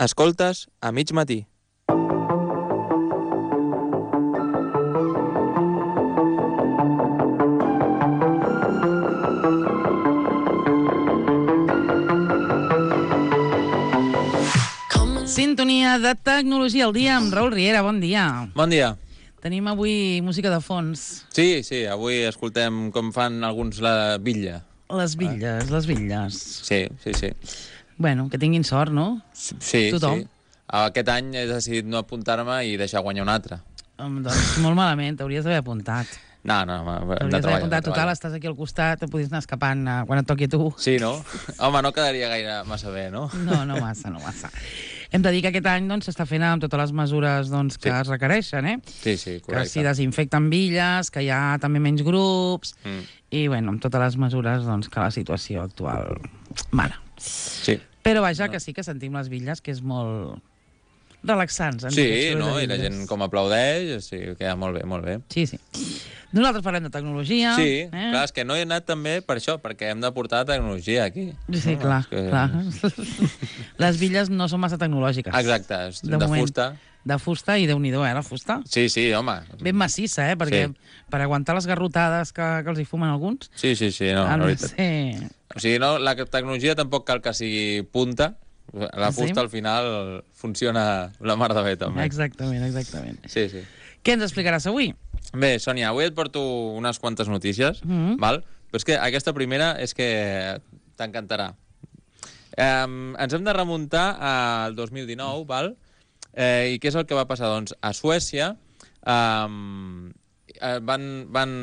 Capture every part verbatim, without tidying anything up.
Escoltes a mig matí. Sintonia de tecnologia al dia amb Raül Riera. Bon dia. Bon dia. Tenim avui música de fons. Sí, sí, avui escoltem com fan alguns la bitlla. Les bitlles, les bitlles. Sí, sí, sí. Bueno, que tinguin sort, no? Sí, Tothom. sí. Aquest any he decidit no apuntar-me i deixar guanyar un altre. Um, doncs molt malament, t'hauries d'haver apuntat. No, no, hem de T'hauries d'haver treballar. apuntat. Total, estàs aquí al costat, te podies anar escapant uh, quan et toqui a tu. Sí, no? Home, no quedaria gaire massa bé, no? No, no massa, no massa. Hem de dir que aquest any doncs, s'està fent amb totes les mesures doncs, que Sí. es requereixen, eh? Sí, sí, Que correcte. s'hi desinfecten bitlles, que hi ha també menys grups, Mm. i bueno, amb totes les mesures doncs, que la situació actual mana. Sí. Però vaja, que sí que sentim les bitlles, que és molt relaxants. en Sí, aquests no? sorolls de I la bitlles. gent com aplaudeix, sí, queda molt bé, molt bé. Sí, sí. Nosaltres parlem de tecnologia. Sí, eh? clar, és que no he anat també per això, perquè hem de portar tecnologia aquí. Sí, No, clar, és que- clar. Les bitlles no són massa tecnològiques. Exacte, és De de, moment. fusta. De fusta, i Déu-n'hi-do, eh, la fusta. Sí, sí, home. Ben massissa, eh, perquè Sí. per aguantar les garrotades que, que els hi fumen alguns, Sí, sí, sí, no, ha la de veritat. ser... O sigui, no, la tecnologia tampoc cal que sigui punta. La Sí? fusta, al final, funciona la mar de bé, també. Exactament, exactament. Sí, sí. Què ens explicaràs avui? Bé, Sònia, avui et porto unes quantes notícies, Mhm. val? Però és que aquesta primera és que t'encantarà. Um, ens hem de remuntar al dos mil dinou, val? Eh, I què és el que va passar? Doncs a Suècia um, van, van,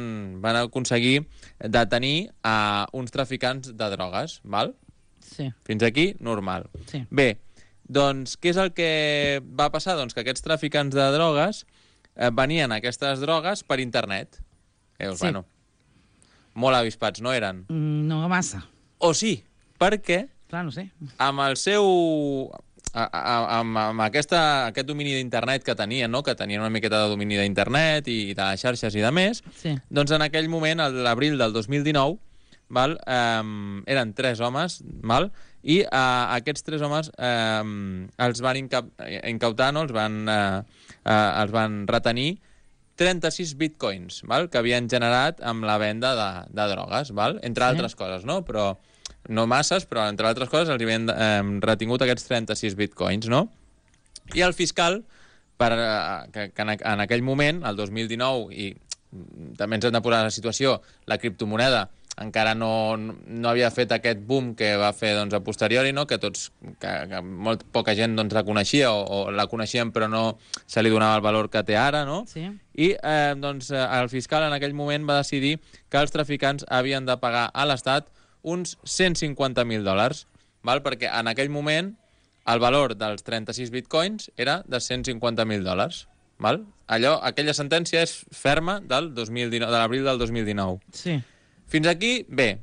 van aconseguir detenir a uns traficants de drogues, val? Sí, Fins aquí, normal. sí. Bé, doncs què és el que va passar? Doncs que aquests traficants de drogues eh, venien aquestes drogues per internet. Veus, Sí. bueno, molt avispats, no eren? Mm, No massa. O sí, perquè Clar, no sé. amb el seu... A, a, amb, amb aquesta, aquest domini d'internet que tenien, no? Que tenien una miqueta de domini d'internet i de les xarxes i de més, Sí. doncs en aquell moment, a l'abril del dos mil dinou, val, um, eren tres homes, val, i uh, aquests tres homes um, els van incap incautar, no? els, van, uh, uh, els van retenir trenta-sis bitcoins, val, que havien generat amb la venda de, de drogues, val, entre Sí. altres coses, no? Però no masses, però entre altres coses els havien eh, retingut aquests trenta-sis bitcoins, no? I el fiscal, per, eh, que, que en, en aquell moment, el dos mil dinou, i també ens hem de posar la situació, la criptomoneda encara no, no havia fet aquest boom que va fer doncs, a posteriori, no? que tots, que, que molt poca gent doncs, la coneixia o, o la coneixien però no se li donava el valor que té ara, no? Sí. I eh, doncs, el fiscal en aquell moment va decidir que els traficants havien de pagar a l'Estat uns cent cinquanta mil dòlars, val? Perquè en aquell moment el valor dels trenta-sis bitcoins era de cent cinquanta mil dòlars. Val? Allò, aquella sentència és ferma del dos mil dinou, de l'abril del dos mil dinou. Sí. Fins aquí, bé,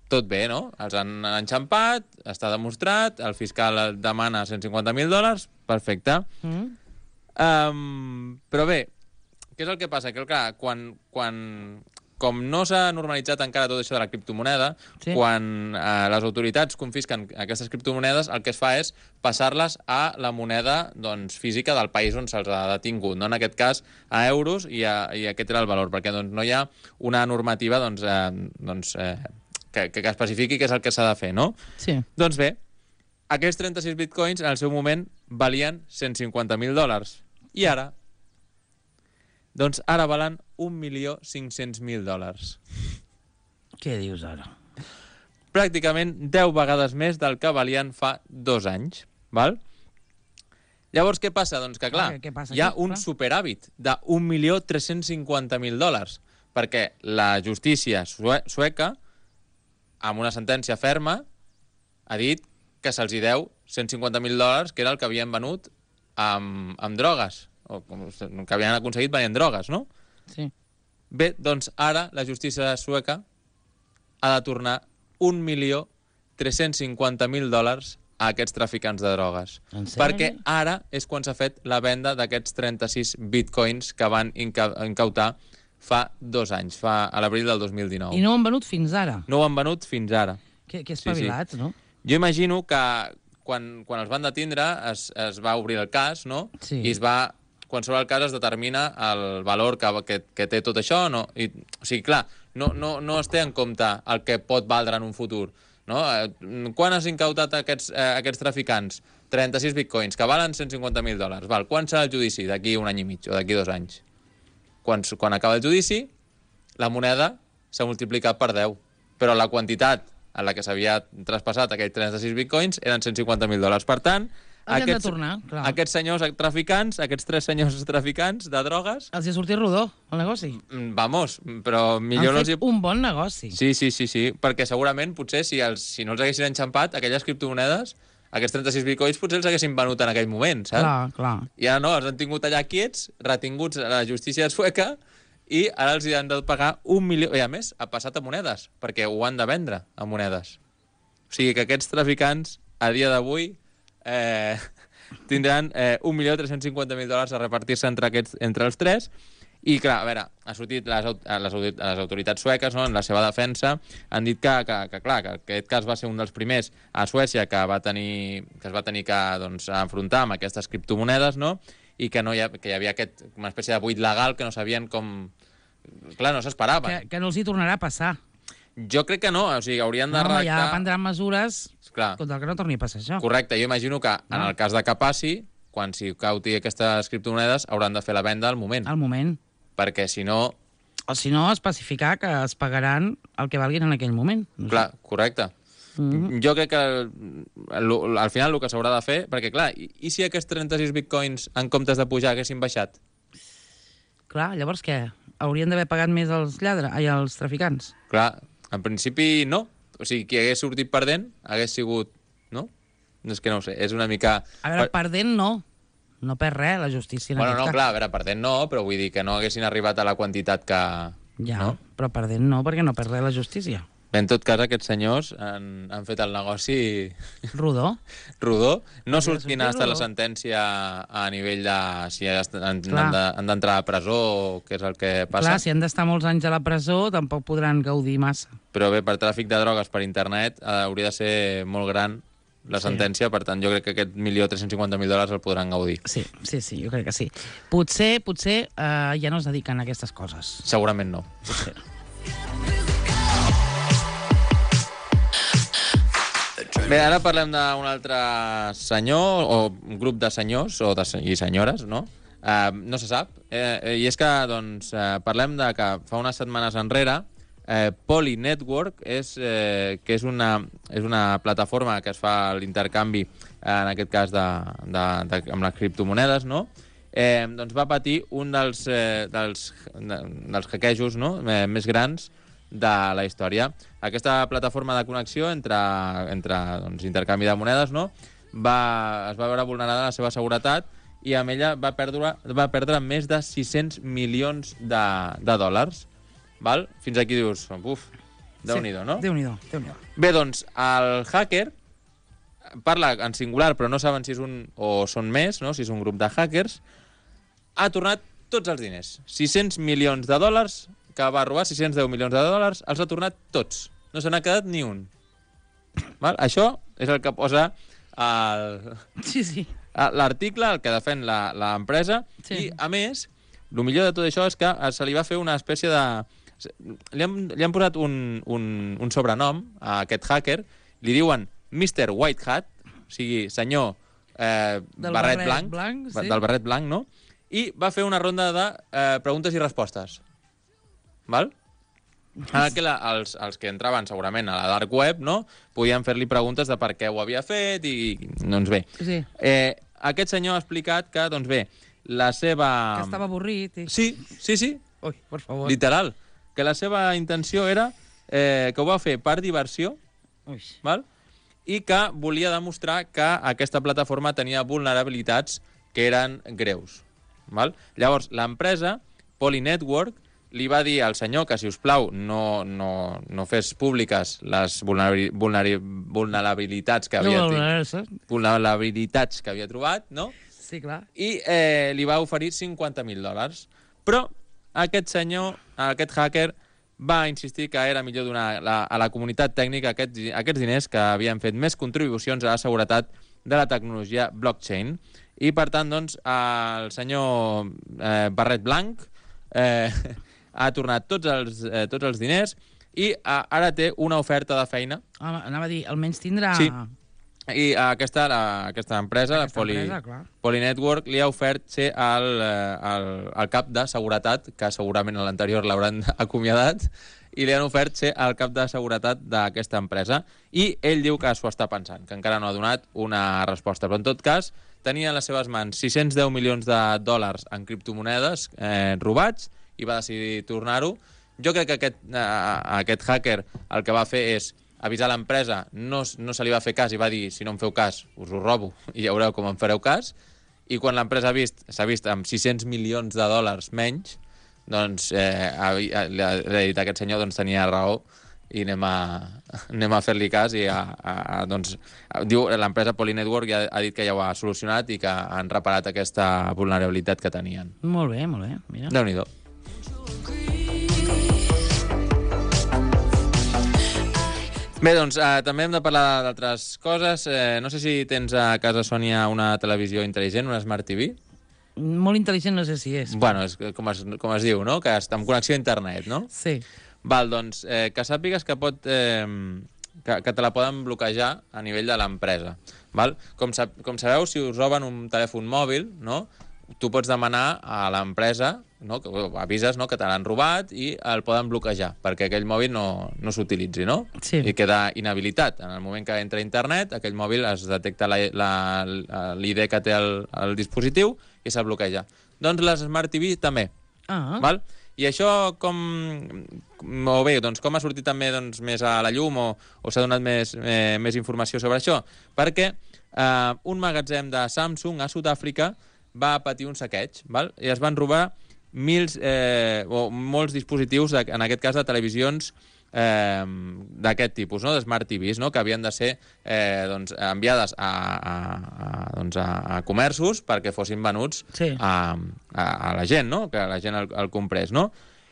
tot bé, no? Els han enxampat, està demostrat, el fiscal demana cent cinquanta mil dòlars, perfecte. Mm. Um, però bé, què és el que passa? Que, clar, quan, quan, com no s'ha normalitzat encara tot això de la criptomoneda, Sí. quan eh, les autoritats confisquen aquestes criptomonedes, el que es fa és passar-les a la moneda doncs, física del país on se'ls ha detingut, no? En aquest cas a euros, i, a, i aquest era el valor, perquè doncs, no hi ha una normativa doncs, eh, doncs, eh, que, que especifiqui què és el que s'ha de fer, no? Sí. Doncs bé, aquests trenta-sis bitcoins en el seu moment valien cent cinquanta mil dòlars. I ara? Doncs ara valen un milió cinc-cents mil dòlars. Què dius ara? Pràcticament deu vegades més del que valien fa dos anys. Val? Llavors, què passa? Doncs que, clar, Què- què passa hi ha aquí? un Clar. superàvit de un milió tres-cents cinquanta mil dòlars, perquè la justícia sue sueca, amb una sentència ferma, ha dit que se'ls hi deu cent cinquanta mil dòlars, que era el que havien venut amb, amb drogues, o que havien aconseguit venent drogues, no? Sí. Bé, doncs ara la justícia sueca ha de tornar un milió tres-cents cinquanta mil dòlars a aquests traficants de drogues. En sèrio? Perquè ara és quan s'ha fet la venda d'aquests trenta-sis bitcoins que van inca incautar fa dos anys, fa a l'abril del dos mil dinou. I no ho han venut fins ara. No ho han venut fins ara. Que, que Sí, sí. espavilats, no? Jo imagino que quan, quan els van detindre es, es va obrir el cas, no? Sí. I es va... Quan s'obre el cas es determina el valor que, que, que té tot això, no? I, o sigui, clar, no, no, no es té en compte el que pot valdre en un futur, no? Eh, quan has incautat aquests, eh, aquests traficants? trenta-sis bitcoins, que valen cent cinquanta mil dòlars. Val. Quan serà el judici? D'aquí un any i mig o d'aquí dos anys. Quan, quan acaba el judici, la moneda s'ha multiplicat per deu, però la quantitat en la que s'havia traspassat aquells trenta-sis bitcoins eren cent cinquanta mil dòlars. Per tant, Els aquests, de tornar, clar. aquests senyors traficants, aquests tres senyors traficants de drogues... Els hi ha sortit rodó, el negoci. Vamos, però millor... Han fet no els hi... un bon negoci. Sí, sí, sí, sí, perquè segurament, potser, si, els, si no els haguessin enxampat, aquelles criptomonedes, aquests trenta-sis bitcoins, potser els haguessin venut en aquell moment, saps? Clar, clar. I ara no, els han tingut allà quiets, retinguts a la justícia sueca, i ara els hi han de pagar un milió... I a més, ha passat a monedes, perquè ho han de vendre a monedes. O sigui que aquests traficants, a dia d'avui, eh, tindran eh, un milió tres-cents cinquanta mil dòlars a repartir-se entre, aquests, entre els tres. I, clar, a veure, ha sortit les, les, les autoritats sueques, no, en la seva defensa, han dit que, que, que, clar, que aquest cas va ser un dels primers a Suècia que, va tenir, que es va tenir que doncs, enfrontar amb aquestes criptomonedes, no? I que, no hi ha, que hi havia aquest, una espècie de buit legal que no sabien com... Clar, no s'esperaven. Que, que no els hi tornarà a passar. Jo crec que no, o sigui, haurien de No, home, redactar... ja prendran mesures Clar. contra el que no torni a passar això. Correcte, jo imagino que en No. el cas de que passi, quan s'hi cauti aquestes criptomonedes, hauran de fer la venda al moment. Al moment. Perquè si no... O si no, especificar que es pagaran el que valguin en aquell moment. No sé. Clar, correcte. Mm -hmm. Jo crec que al, al final el que s'haurà de fer... Perquè, clar, i, i si aquests trenta-sis bitcoins, en comptes de pujar, haguessin baixat? Clar, llavors què? Haurien d'haver pagat més els lladres, ai, els traficants? Clar, en principi no. O sigui, qui hagués sortit perdent hagués sigut... No? És que no ho sé, és una mica... A veure, perdent no. No perd res, la justícia en Bueno, aquest no, cas. clar, a veure, perdent no, però vull dir que no haguessin arribat a la quantitat que... Ja, no? però perdent no, perquè no perd res la justícia. Bé, en tot cas, aquests senyors han, han fet el negoci Rodó. rodó. No Hauria de surt quina ha sortir estat la rodó. sentència a nivell de si han han Clar. de- han d'entrar a presó o què és el que passa. Clar, si han d'estar molts anys a la presó, tampoc podran gaudir massa. Però bé, per tràfic de drogues per internet eh, hauria de ser molt gran la Sí. sentència, per tant, jo crec que aquest milió tres-cents cinquanta mil dòlars el podran gaudir. Sí, sí, sí, jo crec que sí. Potser, potser eh, ja no es dediquen a aquestes coses. Segurament no. Potser. Bé, ara parlem d'un altre senyor, o un grup de senyors o de, se- i senyores, no? Uh, no se sap. Eh, eh, I és que, doncs, uh, parlem de que fa unes setmanes enrere eh, Poly Network, és, eh, que és una, és una plataforma que es fa l'intercanvi, eh, en aquest cas, de, de, de, amb les criptomonedes, no? Eh, doncs va patir un dels, eh, dels, de, dels hackejos, no? eh, més grans de la història. Aquesta plataforma de connexió entre, entre doncs, intercanvi de monedes, no? va, es va veure vulnerada la seva seguretat i amb ella va perdre, va perdre més de sis-cents milions de, de dòlars. Val? Fins aquí dius, uf, Déu-n'hi-do, no? Déu-n'hi-do, Déu-n'hi-do. Bé, doncs, el hacker parla en singular, però no saben si és un o són més, no? Si és un grup de hackers, ha tornat tots els diners. sis-cents milions de dòlars que va robar, sis-cents deu milions de dòlars, els ha tornat tots. No se n'ha quedat ni un. Val? Això és el que posa el... Sí, sí. l'article, el que defèn la- l'empresa, Sí. i, a més, el millor de tot això és que se li va fer una espècie de... Li han, li han posat un, un, un sobrenom a aquest hacker, li diuen mister White Hat, o sigui, senyor eh, Del barret, barret blanc, blanc, sí. del barret blanc, no? I va fer una ronda de eh, preguntes i respostes. Val? En el que la, els, els que entraven segurament a la dark web, no?, podien fer-li preguntes de per què ho havia fet i, doncs bé. Sí. Eh, aquest senyor ha explicat que, doncs bé, la seva... Que estava avorrit. I... Sí, sí, sí, Ui, per favor. literal. Que la seva intenció era eh, que ho va fer per diversió, Ui. val? I que volia demostrar que aquesta plataforma tenia vulnerabilitats que eren greus. Val? Llavors, l'empresa, Poly Network, li va dir al senyor que, si us plau, no, no, no fes públiques les vulnerabi- vulneri- vulnerabilitats que havia, No, no, no, no, vulnerabilitats que havia trobat, no? sí, clar. I eh, li va oferir cinquanta mil dòlars. Però aquest senyor, aquest hacker, va insistir que era millor donar la, a la comunitat tècnica aquests, aquests diners, que havien fet més contribucions a la seguretat de la tecnologia blockchain. I, per tant, doncs, el senyor eh, Barret Blanc eh, ha tornat tots els, eh, tots els diners i eh, ara té una oferta de feina. Ah, anava a dir, almenys tindrà... Sí. I aquesta, la, aquesta empresa, aquesta Poly, empresa clar. Poly Network, li ha ofert ser el, el, el cap de seguretat, que segurament a l'anterior l'hauran acomiadat, i li han ofert ser el cap de seguretat d'aquesta empresa. I ell diu que s'ho està pensant, que encara no ha donat una resposta. Però, en tot cas, tenia a les seves mans sis-cents deu milions de dòlars en criptomonedes eh, robats i va decidir tornar-ho. Jo crec que aquest, eh, aquest hacker el que va fer és avisar l'empresa, no, no se li va fer cas i va dir, si no em feu cas, us ho robo i ja veureu com em fareu cas. I quan l'empresa s'ha vist, vist amb sis-cents milions de dòlars menys, doncs eh, li ha dit a aquest senyor, doncs tenia raó i anem a, anem a fer-li cas i a, a, a, doncs, diu l'empresa Poly Network ja ha dit que ja ho ha solucionat i que han reparat aquesta vulnerabilitat que tenien. Molt bé, molt bé. Mira. Déu-n'hi-do. Bé, doncs, eh, també hem de parlar d'altres coses. Eh, no sé si tens a casa, Sònia, una televisió intel·ligent, una Smart T V. Molt intel·ligent no sé si és. Bueno, és com es, com es diu, no? Que està amb connexió a internet, no? Sí. Val, doncs, eh, que sàpigues que pot... Eh, que, que te la poden bloquejar a nivell de l'empresa. Val? Com, sab, com sabeu, si us roben un telèfon mòbil, no? Tu pots demanar a l'empresa, no? Que avises, no? Que te l'han robat i el poden bloquejar perquè aquell mòbil no, no s'utilitzi, no? Sí. I queda inhabilitat. En el moment que entra a internet, aquell mòbil es detecta l'I D que té el, el dispositiu i se'l bloqueja. Doncs les Smart T V també. Ah. Val? I això com... O bé, doncs com ha sortit també doncs, més a la llum o, o s'ha donat més, eh, més informació sobre això? Perquè eh, un magatzem de Samsung a Sud-àfrica va patir un saqueig, val? I es van robar mils, eh, o molts dispositius, de, en aquest cas de televisions eh, d'aquest tipus, no? De Smart T Vs, no? Que havien de ser eh, doncs, enviades a, a, a, doncs a, a comerços perquè fossin venuts sí. a, a, a la gent, no? Que la gent el, el comprés, no?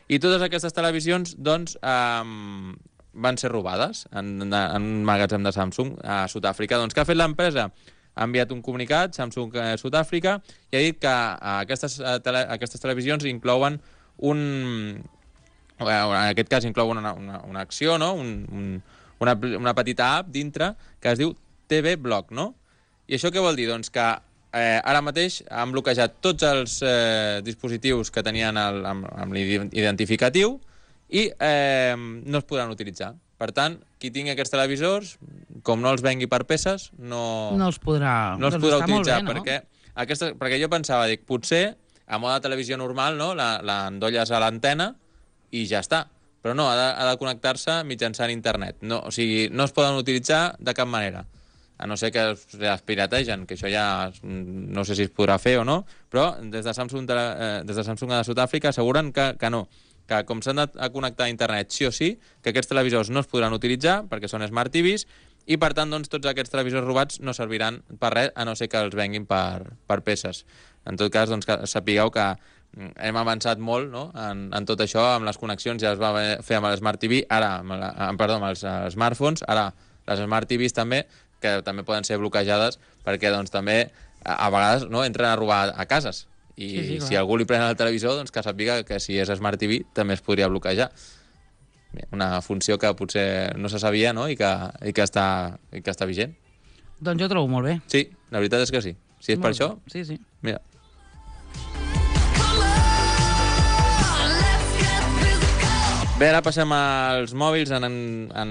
I totes aquestes televisions doncs, eh, van ser robades en, en un magatzem de Samsung a Sud-àfrica. Doncs què ha fet l'empresa? Ha enviat un comunicat, Samsung eh, Sud-àfrica, i ha dit que eh, aquestes, eh, tele, aquestes televisions inclouen un... Eh, en aquest cas inclouen una, una, una acció, no? un, un, una, una petita app dintre que es diu T V Block, no? I això què vol dir? Doncs que eh, ara mateix han bloquejat tots els eh, dispositius que tenien el, amb, amb l'identificatiu i eh, no es podran utilitzar. Per tant, qui tingui aquests televisors, com no els vengui per peces, no, no els podrà, no els doncs podrà està utilitzar. molt bé, no? perquè, aquesta, perquè jo pensava, dic, potser a mode de televisió normal, no? L'endolles a l'antena i ja està. Però no, ha de, ha de connectar-se mitjançant internet. No, o sigui, no es poden utilitzar de cap manera. A no ser que es pirategen, que això ja no sé si es podrà fer o no, però des de Samsung de, eh, des de Samsung de Sud-àfrica asseguren que, que no. Que com s'han de connectar a internet sí o sí, que aquests televisors no es podran utilitzar perquè són Smart T Vs i, per tant, doncs, tots aquests televisors robats no serviran per res, a no ser que els venguin per, per peces. En tot cas, doncs, que sapigueu que hem avançat molt, no? en, en tot això, amb les connexions ja es va fer amb el Smart T V, ara, amb, la, amb, perdó, amb els uh, smartphones, ara les Smart T Vs també, que també poden ser bloquejades perquè doncs, també a, a vegades no, entren a robar a cases. I sí, sí, si algú li pren el televisor, doncs que sàpiga que si és Smart T V també es podria bloquejar. Una funció que potser no se sabia, no? I que, i que, està, i que està vigent. Doncs jo ho trobo molt bé. Sí, la veritat és que sí. Si és molt per bé. això, sí, sí. mira. Bé, ara passem als mòbils, en, en,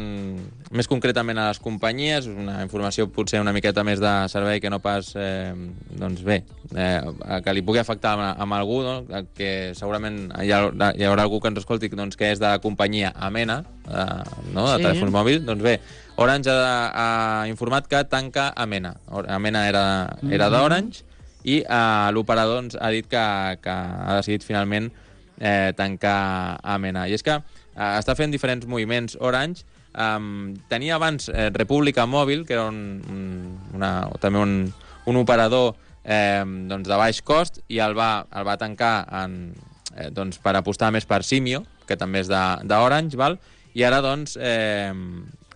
més concretament a les companyies, una informació potser una miqueta més de servei que no pas, eh, doncs bé, eh, que li pugui afectar a, a algú, no? Que segurament hi, ha, hi haurà algú que ens escolti doncs, que és de la companyia Amena, eh, no? De sí. telèfons mòbils. Doncs bé, Orange ha, ha informat que tanca Amena. Amena era, era d'Orange i eh, l'operador doncs, ha dit que, que ha decidit finalment eh, tancar Amena. I és que eh, està fent diferents moviments Orange. Um, tenia abans eh, República Mòbil, que era un, un, una, també un, un operador eh, doncs de baix cost, i el va, el va tancar en, eh, doncs per apostar més per Simio, que també és d'Orange, val? I ara doncs eh,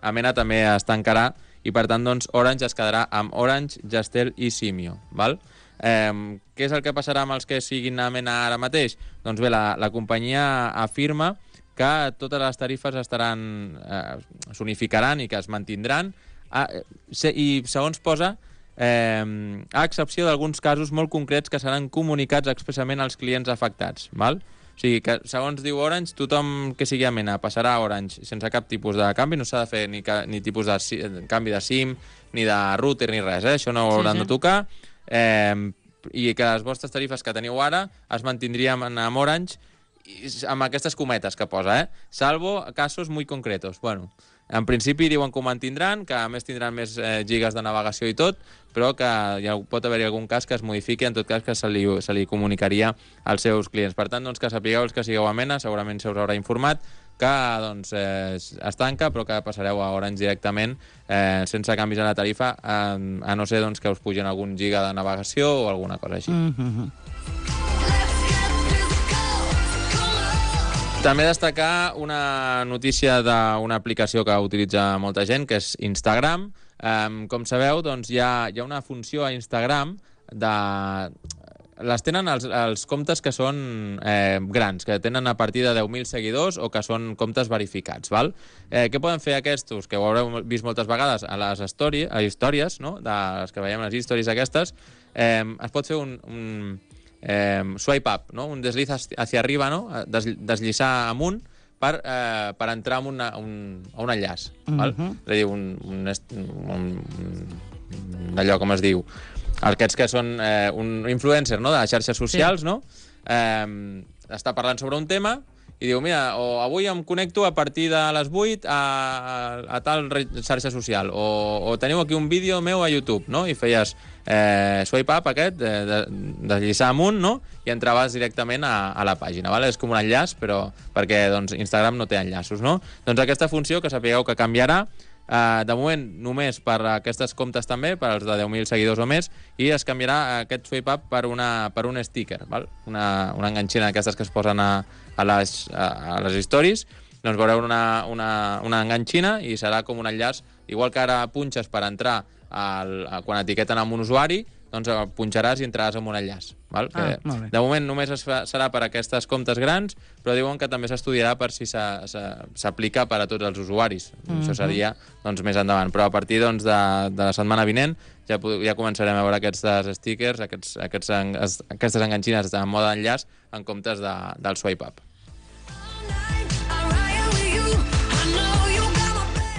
Amena també es tancarà i per tant doncs, Orange es quedarà amb Orange, Jastel i Simio. Val? Eh, què és el que passarà amb els que siguin a Mena ara mateix? Doncs bé, la, la companyia afirma que totes les tarifes estaran eh, s'unificaran i que es mantindran a, se, i segons posa eh, a excepció d'alguns casos molt concrets que seran comunicats expressament als clients afectats. Val? O sigui que, segons diu Orange, tothom que sigui a Mena passarà a Orange sense cap tipus de canvi, no s'ha de fer ni, ca, ni tipus de si, canvi de SIM, ni de router, ni res, eh? Això no ho hauran sí, sí. de tocar, eh, i que les vostres tarifes que teniu ara es mantindrien amb Orange amb aquestes cometes que posa, eh? Salvo casos muy concretos. Bueno, en principi diuen que ho mantindran, que a més tindran més eh, gigas de navegació i tot, però que hi ha, pot haver-hi algun cas que es modifiqui, en tot cas que se li, se li comunicaria als seus clients. Per tant, doncs, que sapigueu els que sigueu a Mena, segurament se us haurà informat, que doncs, eh, es tanca, però que passareu a Orange directament, eh, sense canvis a la tarifa, a, a no ser doncs, que us pugin algun giga de navegació o alguna cosa així. Mm-hmm. També destacar una notícia d'una aplicació que utilitza molta gent, que és Instagram. Um, com sabeu, doncs, hi ha, hi ha una funció a Instagram de... Les tenen els, els comptes que són eh, grans, que tenen a partir de deu mil seguidors o que són comptes verificats. Val? Eh, què poden fer aquests, que ho haureu vist moltes vegades a les story, a històries, no? De les que veiem les històries aquestes, eh, es pot fer un... un Eh, swipe up, no? Un desliz hacia arriba, no? Des, deslliçar amunt per, eh, per entrar en una, un, a un enllaç. Uh-huh. Val? És a dir, un, un, un, un, allò com es diu, aquests que són eh, un influencer, no? De xarxes socials, sí. No? Eh, està parlant sobre un tema i diu, mira, o avui em connecto a partir de les vuit a, a, a tal xarxa social, o, o teniu aquí un vídeo meu a YouTube, no? I feies eh, swipe up aquest, de, de, deslliçar amunt, no? I entraves directament a, a la pàgina, vale? És com un enllaç, però perquè doncs, Instagram no té enllaços, no? Doncs aquesta funció, que sapigueu que canviarà, Uh, de moment només per aquestes comptes també, per als de deu mil seguidors o més, i es canviarà aquest swipe up per, una, per un sticker, val? Una, una enganxina d'aquestes que es posen a, a, les, a, a les stories. Doncs veureu una, una, una enganxina i serà com un enllaç, igual que ara punxes per entrar al, a, quan etiqueten amb un usuari, doncs punxaràs i entraràs en un enllaç. Val? Ah, que de moment només es fa, serà per a aquestes comptes grans, però diuen que també s'estudiarà per si s'aplica per a tots els usuaris. Mm-hmm. Això seria doncs, més endavant. Però a partir doncs, de, de la setmana vinent ja, ja començarem a veure aquests stickers, aquests, aquests, aquestes enganxines en mode enllaç en comptes de, del swipe up.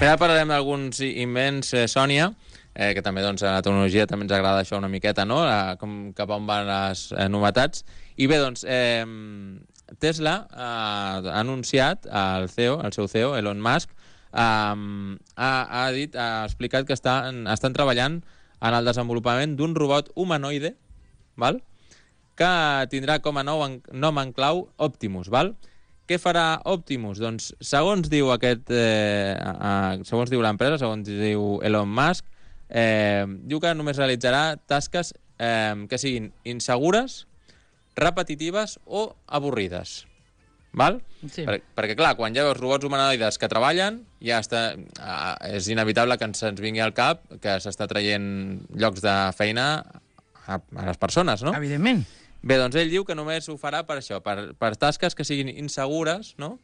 Ara parlarem d'alguns invents, eh, Sònia, eh, que també doncs, a la tecnologia també ens agrada això una miqueta, no? La, com, cap on van les eh, novetats. I bé, doncs, eh, Tesla eh, ha anunciat, el C E O, el seu C E O, Elon Musk, eh, ha, ha dit, ha explicat que estan, estan treballant en el desenvolupament d'un robot humanoide, val? Que tindrà com a nou en, nom en clau Optimus, val? Què farà Optimus? Doncs, segons diu aquest, eh, eh, segons diu l'empresa, segons diu Elon Musk, eh, diu que només realitzarà tasques eh, que siguin insegures, repetitives o avorrides. Val? Sí. Per, perquè, clar, quan ja veus robots humanoides que treballen, ja està, eh, és inevitable que ens, ens vingui al cap que s'està traient llocs de feina a, a les persones, no? Evidentment. Bé, doncs ell diu que només ho farà per això, per, per tasques que siguin insegures, no?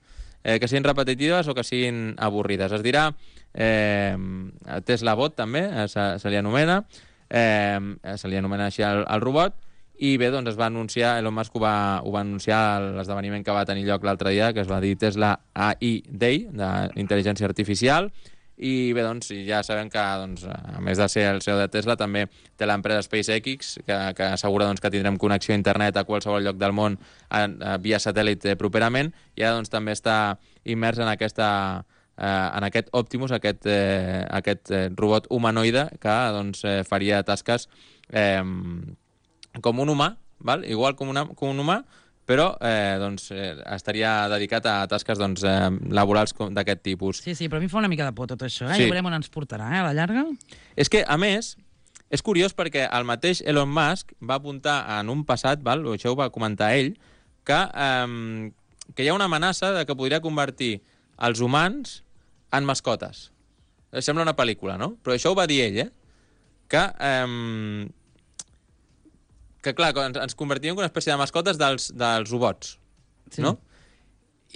eh, que siguin repetitives o que siguin avorrides. Es dirà eh, Tesla Bot, també, eh, se, se li anomena, eh, se li anomena així el, el robot, i bé, doncs es va anunciar, Elon Musk ho va, ho va anunciar a l'esdeveniment que va tenir lloc l'altre dia, que es va dir Tesla A I Day, d'intel·ligència artificial. I bé, doncs, ja sabem que, doncs, a més de ser el C E O de Tesla, també té l'empresa SpaceX, que, que assegura doncs, que tindrem connexió a internet a qualsevol lloc del món a, a, via satèl·lit properament, i ara doncs, també està immers en, aquesta, eh, en aquest Optimus, aquest, eh, aquest eh, robot humanoide que doncs, eh, faria tasques eh, com un humà, val? Igual com, una, com un humà, però eh, doncs, eh, estaria dedicat a tasques doncs, eh, laborals d'aquest tipus. Sí, sí, però a mi fa una mica de por tot això, eh? Sí. Ja veurem on ens portarà, eh, a la llarga. És que, a més, és curiós perquè el mateix Elon Musk va apuntar en un passat, val? Això ho va comentar ell, que, eh, que hi ha una amenaça de que podria convertir els humans en mascotes. Sembla una pel·lícula, no? Però això ho va dir ell, eh? Que, eh, que clar, ens, ens convertíem en una espècie de mascotes dels, dels robots, Sí. no?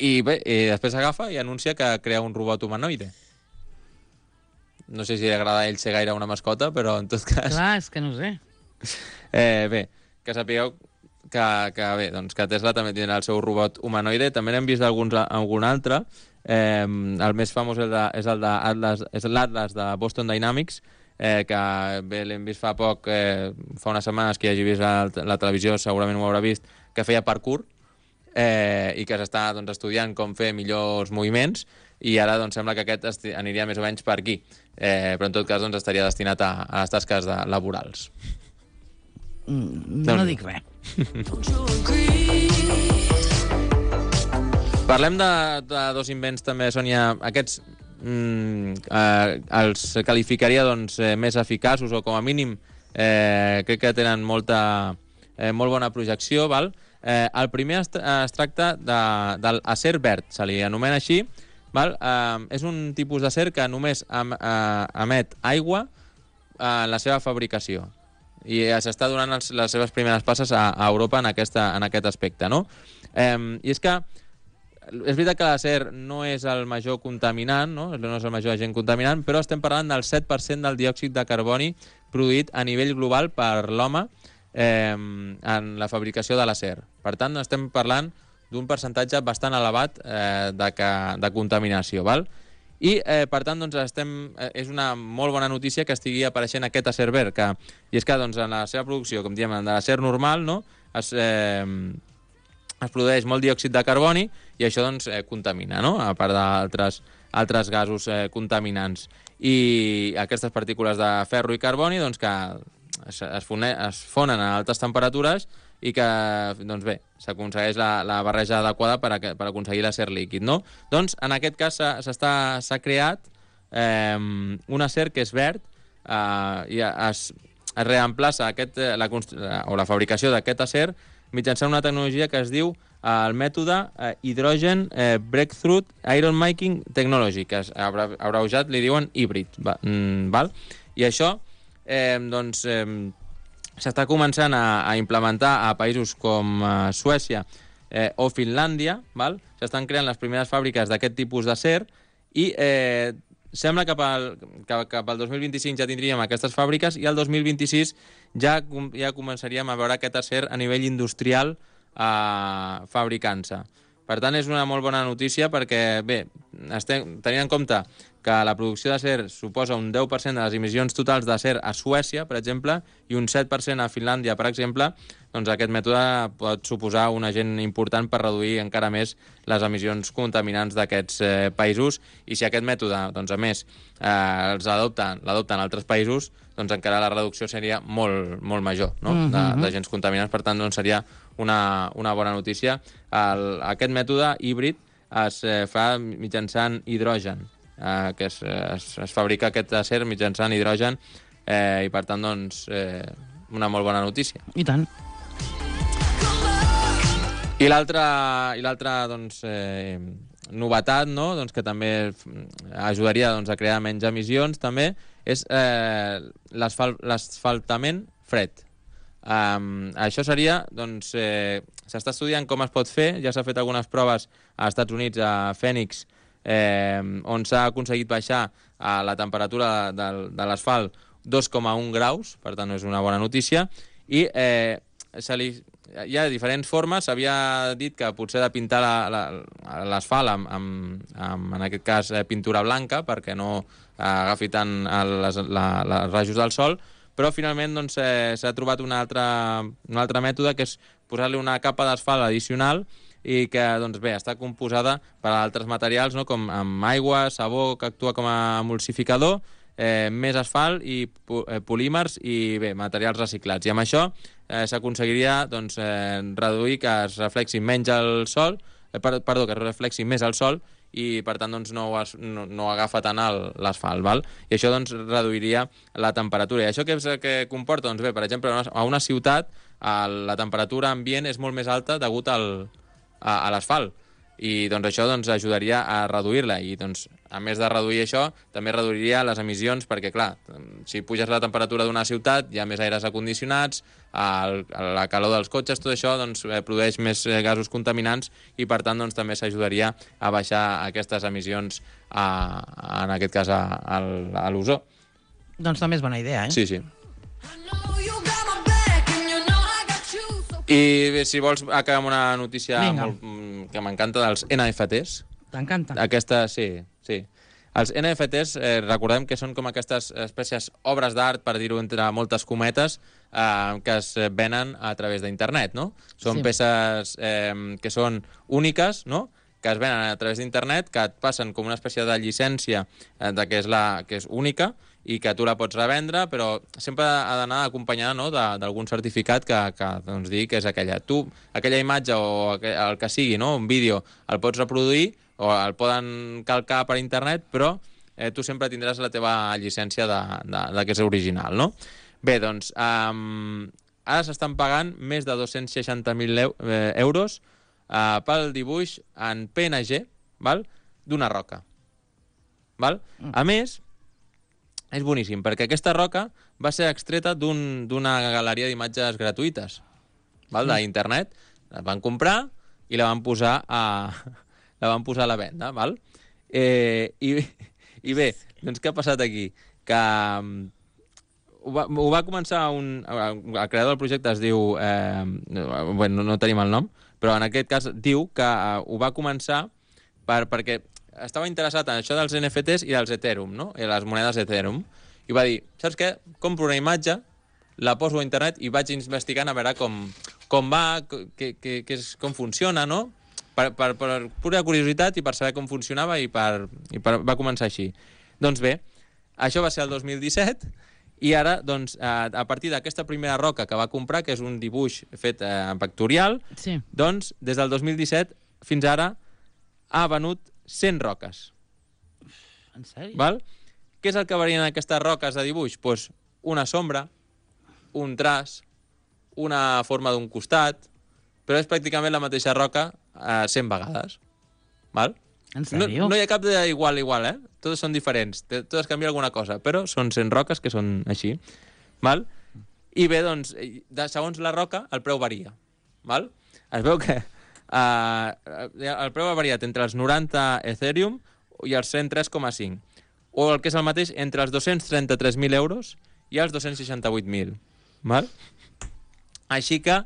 I bé, i després agafa i anuncia que crea un robot humanoide. No sé si li agrada a ell ser gaire una mascota, però en tot cas... Clar, és que no ho sé. Eh, bé, que sapigueu que, que, bé, doncs que Tesla també tindrà el seu robot humanoide. També n'hem vist alguns, algun altre. Eh, el més famós és, de, és el de Atlas, és l'Atlas de Boston Dynamics, eh, que bé, l'hem vist fa poc, eh, fa unes setmanes que hi hagi vist la, la televisió, segurament ho haurà vist, que feia parkour, eh, i que s'està doncs, estudiant com fer millors moviments, i ara doncs, sembla que aquest aniria més o menys per aquí. Eh, però en tot cas doncs, estaria destinat a, a les tasques de, laborals. Mm, no Déu-n'hi-do. dic res. Parlem de, de dos invents també, Sònia. Aquests mm, eh, els qualificaria doncs, eh, més eficaços, o com a mínim eh, crec que tenen molta, eh, molt bona projecció. Val? Eh, el primer es, es tracta de, del acer verd, se li anomena així. Val? Eh, és un tipus d'acer que només em, eh, emet aigua en la seva fabricació. I eh, s'està donant els, les seves primeres passes a, a Europa en, aquesta, en aquest aspecte, no? Eh, I és que és veritat que l'acer no és el major contaminant, no? No és el major agent contaminant, però estem parlant del set per cent del diòxid de carboni produït a nivell global per l'home eh, en la fabricació de l'acer. Per tant, estem parlant d'un percentatge bastant elevat eh, de, que, de contaminació, val? I, eh, per tant, doncs, estem, eh, és una molt bona notícia que estigui apareixent aquest acer verd, que, i és que doncs, en la seva producció, com diem, de l'acer normal, no? es, eh, es produeix molt diòxid de carboni i això doncs, eh, contamina, no? A part d'altres altres gasos eh, contaminants. I aquestes partícules de ferro i carboni doncs, que es, es, fone, es fonen a altes temperatures i que, doncs bé, s'aconsegueix la, la barreja adequada per, a, per aconseguir l'acer líquid, no? Doncs, en aquest cas, s'ha creat eh, un acer que és verd eh, i es, es reemplaça aquest, la, o la fabricació d'aquest acer mitjançant una tecnologia que es diu eh, el mètode eh, Hydrogen eh, Breakthrough Iron Making Technology, que és abreujat li diuen híbrid, va, mm, val? I això, eh, doncs, eh, s'està començant a, a implementar a països com eh, Suècia eh, o Finlàndia, val? S'estan creant les primeres fàbriques d'aquest tipus d'acer i eh, sembla que cap al, que cap al dos mil vint-i-cinc ja tindríem aquestes fàbriques i al dos mil vint-i-sis ja, ja començaríem a veure aquest acer a nivell industrial eh, fabricant-se. Per tant, és una molt bona notícia perquè, bé, estem, tenint en compte que la producció d'acer suposa un deu per cent de les emissions totals d'acer a Suècia, per exemple, i un set per cent a Finlàndia, per exemple, doncs aquest mètode pot suposar un agent important per reduir encara més les emissions contaminants d'aquests eh, països, i si aquest mètode, doncs, a més, eh, els adopten, l'adopten altres països, doncs encara la reducció seria molt, molt major, no? Mm-hmm. d'agents contaminants. Per tant, doncs, seria una, una bona notícia. El, aquest mètode híbrid es eh, fa mitjançant hidrogen, eh, que es, es, es fabrica aquest acer mitjançant hidrogen, eh, i per tant, doncs, eh, una molt bona notícia. I tant. I l'altra, i l'altra doncs, eh, novetat, no? Doncs que també ajudaria doncs, a crear menys emissions, també, és eh, l'asfaltament fred. Um, això seria, doncs, eh, s'està estudiant com es pot fer, ja s'ha fet algunes proves als Estats Units, a Phoenix, eh, on s'ha aconseguit baixar a la temperatura de, de l'asfalt dos coma un graus, per tant és una bona notícia, i eh, se li, hi ha diferents formes. S'havia dit que potser de pintar l'asfalt amb, amb, amb, en aquest cas, eh, pintura blanca, perquè no eh, agafi tant les, la, les rajos del sol, però finalment doncs, eh, s'ha trobat un altre, un altre mètode, que és posar-li una capa d'asfalt addicional i que doncs, bé, està composada per altres materials, no? Com amb aigua, sabó, que actua com a emulsificador, eh, més asfalt i eh, polímers i bé, materials reciclats. I amb això eh, s'aconseguiria doncs, eh, reduir que es reflexi menys el sol, eh, per, perdó, que es reflexi més el sol, i per tant doncs, no, es, no, no agafa tant l'asfalt, val? I això doncs, reduiria la temperatura. I això què, és, què comporta? Doncs bé, per exemple, a una ciutat la temperatura ambient és molt més alta degut al, a, a l'asfalt. i doncs, això doncs, ajudaria a reduir-la. I, doncs, a més de reduir això, també reduiria les emissions, perquè, clar, si puges la temperatura d'una ciutat, hi ha més aires acondicionats, el, la calor dels cotxes, tot això doncs, produeix més gasos contaminants i, per tant, doncs, també s'ajudaria a baixar aquestes emissions, a, en aquest cas, a, a, a l'ozó. Doncs també és bona idea, eh? Sí, sí. I bé, si vols, acabar amb una notícia molt, que m'encanta dels N F Ts. T'encanta? Aquesta, sí, sí. Els N F Ts, eh, recordem que són com aquestes espècies obres d'art, per dir-ho entre moltes cometes, eh, que es venen a través d'internet, no? Són Sí. peces eh, que són úniques, no?, que es venen a través d'internet, que et passen com una espècie de llicència eh, de que és, la, que és única i que tu la pots revendre, però sempre ha d'anar acompanyada, no?, d'algun certificat que, que doncs, digui que és aquella. Tu, aquella imatge o el que sigui, no?, un vídeo, el pots reproduir o el poden calcar per internet, però eh, tu sempre tindràs la teva llicència de, de, de que és original, no? Bé, doncs, um, ara s'estan pagant més de dos-cents seixanta mil euros uh, pel dibuix en P N G, val?, d'una roca. Val? A més, és boníssim, perquè aquesta roca va ser extreta d'una un, galeria d'imatges gratuïtes, val?, d'internet. La van comprar i la van posar a, la van posar a la venda, val? Eh, i, I bé, doncs què ha passat aquí? Que um, ho, va, ho va començar un... El creador del projecte es diu... Eh, bueno, no tenim el nom, però en aquest cas diu que uh, ho va començar per, perquè estava interessat en això dels N F Ts i dels Ethereum, no?, i les monedes Ethereum. I va dir, saps què? Compro una imatge, la poso a internet i vaig investigant a veure com, com va, que, que, que és, com funciona, no?, per, per, per pura curiositat i per saber com funcionava, i, per, i per, va començar així. Doncs bé, això va ser el dos mil disset, i ara, doncs, a partir d'aquesta primera roca que va comprar, que és un dibuix fet en vectorial, sí. doncs, des del dos mil disset fins ara ha venut cent roques. En sèrio? Val? Què és el que varien aquestes roques de dibuix? Pues una sombra, un traç, una forma d'un costat, però és pràcticament la mateixa roca eh, cent vegades. Val? En sèrio? No, no hi ha cap d'igual, igual, eh? Totes són diferents, totes canvien alguna cosa, però són cent roques que són així. Val? I bé, doncs, de, segons la roca, el preu varia. Val? Es veu que Uh, el preu ha variat entre els noranta Ethereum i els cent tres coma cinc, o el que és el mateix, entre els dos-cents trenta-tres mil euros i els dos-cents seixanta-vuit mil. Val? Així que,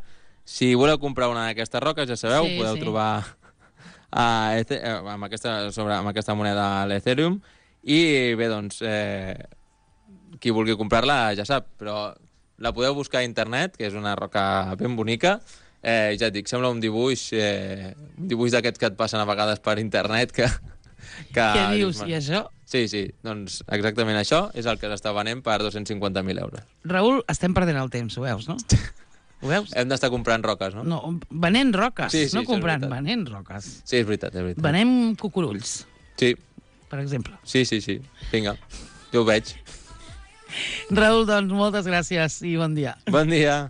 si voleu comprar una d'aquestes roques, ja sabeu, sí, podeu sí. trobar uh, ethe amb, aquesta, sobre, amb aquesta moneda a l'Ethereum, i bé, doncs, eh, qui vulgui comprar-la ja sap, però la podeu buscar a internet, que és una roca ben bonica. Eh, ja et dic, sembla un dibuix, eh, un dibuix d'aquests que et passen a vegades per internet, que... que Què dius? I això? Sí, sí, doncs exactament això és el que s'està venent per dos-cents cinquanta mil euros. Raül, estem perdent el temps, ho veus, no? Ho veus? Hem d'estar comprant roques, no? No, venent roques, sí, sí, no comprant, sí, venent roques. Sí, és veritat, és veritat. Venem cucurulls. Sí. Per exemple. Sí, sí, sí. Vinga, jo ho veig. Raül, doncs, moltes gràcies i bon dia. Bon dia.